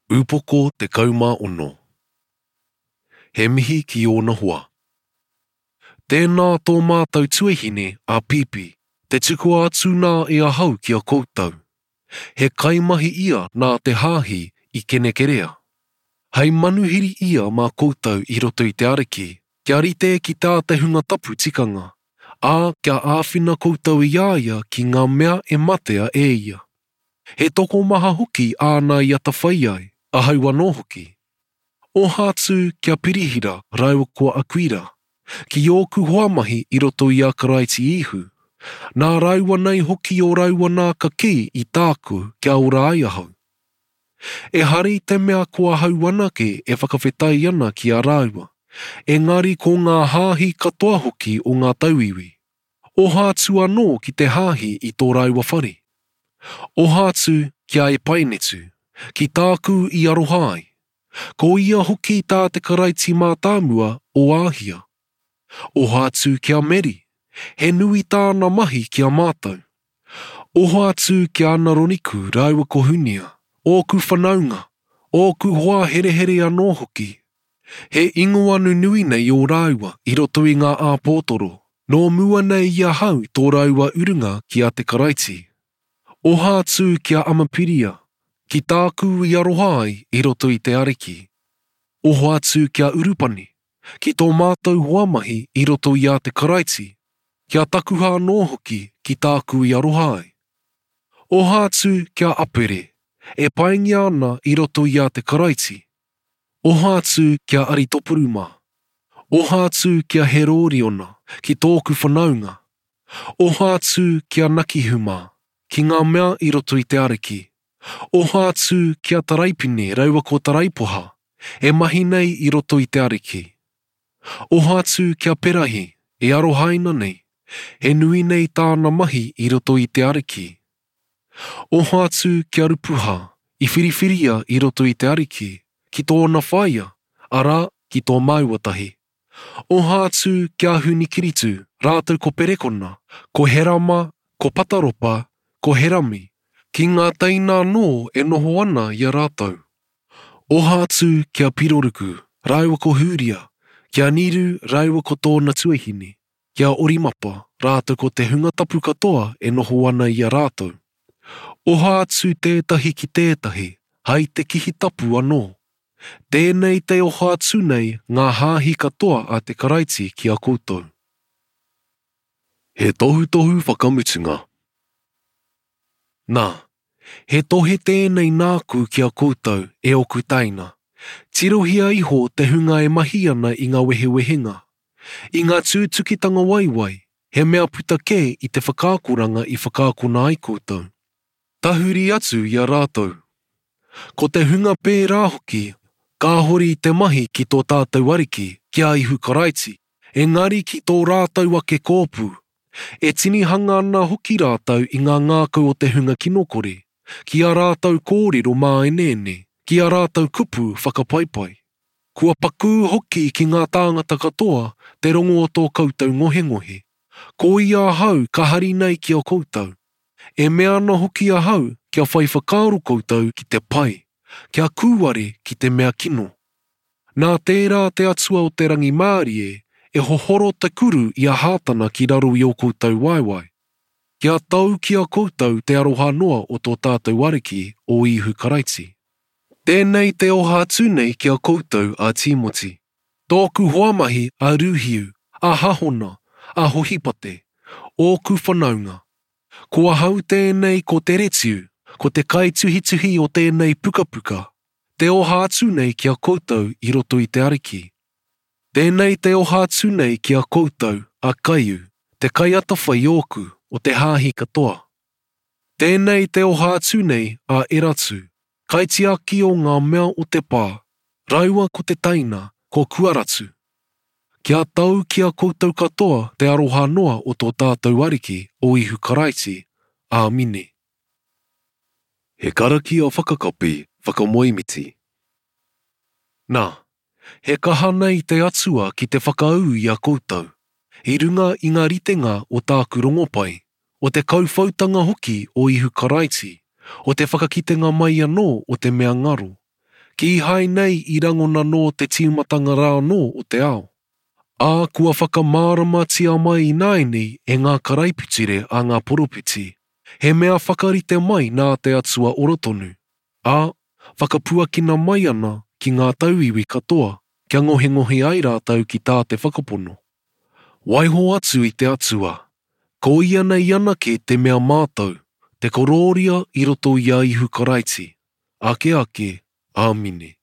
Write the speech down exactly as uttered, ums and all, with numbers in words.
Upoko tekau mā ono. He mihi ki ōna hoa. Tēnā tō mātou tuahine a Pipi, te tukua atu nā e ahau ki a koutou. He kaimahi ia nā te hāhi i Kenekerea. Hei manuhiri ia mā koutou i roto i te Ariki, kia rite ki tā te hunga tapu tikanga, ā, kia āwhina koutou i a ia ki ngā mea e matea e ia. He tokomaha hoki āna i atawhai ai, ahau anō hoki. Oha atu kia Pirihira rāua ko Akuira, ki ōku hoa mahi i roto i a Karaiti Īhu. Nā rāua nei hoki o rāua nā ka kī i tāku kia ora ai ahau. Ehara i te mea ko ahau anake e whakawhetai ana ki a rāua, engari ko ngā hāhi katoa hoki o ngā tauiwi. Oha atu anō ki te hāhi i tō rāua whare. Oha atu ki a Epainetu, ki tāku i aroha ai. Ko ia hoki tā te Karaiti mātāmua o Āhia. Oha atu ki a Meri, he nui tāna mahi ki a mātou. Oha atu ki a Anaroniku rāua ko Hunia, ōku whanaunga, ōku hoa herehere anō hoki. He ingoa nunui nei ō rāua i roto i ngā āpōtoro, nō mua nei i ahau tō rāua urunga ki a te Karaiti. Oha atu ki a Amapiria, ki tāku i aroha ai i roto i te Ariki. Oha atu ki a Urupani, ki tō mātou hoa mahi i roto i a te Karaiti, ki a Takuha anō hoki ki tāku i aroha ai. Oha atu ki a Apere, e paingia ana i roto i a te Karaiti. Oha atu ki a Aritopuru mā. Oha atu ki a Herōriona, ki tōku whanaunga. Oha atu ki a Nakihu mā, ki ngā mea i roto i te Ariki. Oha atu ki a Taraipine raua ko Taraipoha, e mahi nei i roto i te Ariki. Oha atu ki a Perahi, e arohaina nei, he nui nei tāna mahi i roto i te Ariki. Oha atu ki a Rupuha, i whiriwhiria i roto i te Ariki, ki tōna whaea, arā, ki tō māua tahi. Oha atu ki a Hunikiritu, rātou ko Perekona, ko Herama, ko Pataropa, ko Herami, ki ngā teina anō e noho ana i a rātou. Oha atu ki a Piroruku, rāua ko Hūria, ki a Niru rāua ko tōna tuahine, ki a Orimapa, rātou ko te hunga tapu katoa e noho ana i a rātou. Oha atu tētahi ki tētahi, hai te kihi tapu anō. Tēnei te oha atu nei ngā hāhi katoa a te Karaiti ki a koutou. He tohutohu whakamutunga. Nā, he tohe tēnei nāku ki a koutou e ōku teina. Tirohia iho te hunga e mahi ana i ngā wehewehenga. I ngā tūtukitanga waiwai, he mea puta kē i te whakaakoranga i whakaakona ai koutou. Tahuri atu i a rātou. Ko te hunga pērā hoki, kāhore i te mahi ki tō tātou Ariki, ki a Ihu Karaiti, engari ki tō rātou ake kōpū. E tinihanga ana hoki rātou i ngā ngākau o te hunga kinokore, ki a rātou kōrero māeneene, ki a rātou kupu whakapaipai. Kua pakū hoki ki ngā tāngata katoa te rongo o tō koutou ngohengohe. Ko ia ahau ka hari nei ki a koutou. E mea ana hoki ahau kia whai whakaaro koutou ki te pai, kia kūare ki te mea kino. Nā tērā te Atua o te rangimārie e hohoro te kuru i a Hātana ki raro i ō koutou waewae. Kia tau ki a koutou te aroha noa o tō tātou Ariki o Ihu Karaiti. Tēnei te oha atu nei ki a koutou a Tīmoti. Tōku hoa mahi a Rūhiu, a Hahona, a Hohipate, ōku whanaunga. Ko ahau tēnei ko Teretiu, ko te kaituhituhi o tēnei pukapuka, te oha atu nei ki a koutou i roto i te Ariki. Tēnei te oha atu nei ki a koutou a Kaiu, te kaiatawhai ōku o te hāhi katoa. Tēnei te oha atu nei a Eratu, kaitiaki o ngā mea o te pā, raua ko te teina, ko Kuaratu. Kia tau ki a koutou katoa te aroha noa o tō tātou Ariki o Ihu Karaiti. Āmine. He karakia whakakapi whakamoemiti. Nā, he kaha nei te Atua ki te whakaū i a koutou, i runga i ngā ritenga o tāku rongopai, o te kauwhautanga hoki o Ihu Karaiti, o te whakakitenga mai anō o te mea ngaro. Kīhai nei i rangona nō te tīmatanga rā anō o te ao. Ā, kua whakamāramatia mai ināianei e ngā karaipiture a ngā poropiti, he mea whakarite mai nā te Atua ora tonu, ā, whakapuakina mai ana ki ngā tauiwi katoa kia ngohengohe ai rātou ki tā te whakapono. Waiho atu i te Atua, ko ia nei anake te mea mātau, te korōria i roto i a Ihu Karaiti, ake ake, āmine.